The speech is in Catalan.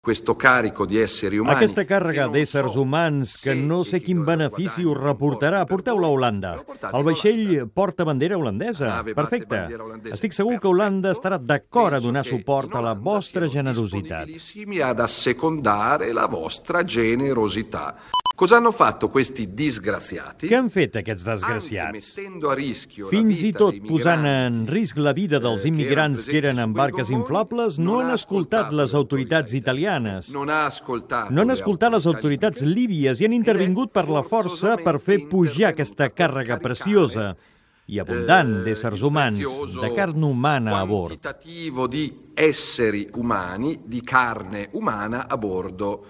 questo carico di esseri umani. Aquesta càrrega d'éssers humans que no sé quin benefici us reportarà. Porteu-la a Holanda. El vaixell porta bandera holandesa. Perfecte. Estic segur que Holanda estarà d'acord a donar suport a la vostra generositat. Ad assecondare la vostra generosità. Cosa hanno fatto questi disgraziati? Què han fet aquests desgraciats? Fins i tot posant en risc la vida dels immigrants que eren en barques inflables, no han escoltat les autoritats italianes. No han escoltat les autoritats líbies i han intervingut per la força per fer pujar aquesta càrrega preciosa i abundant d'éssers humans, de carn umana a bord. Quantitativo di esseri umani, di carne umana a bordo.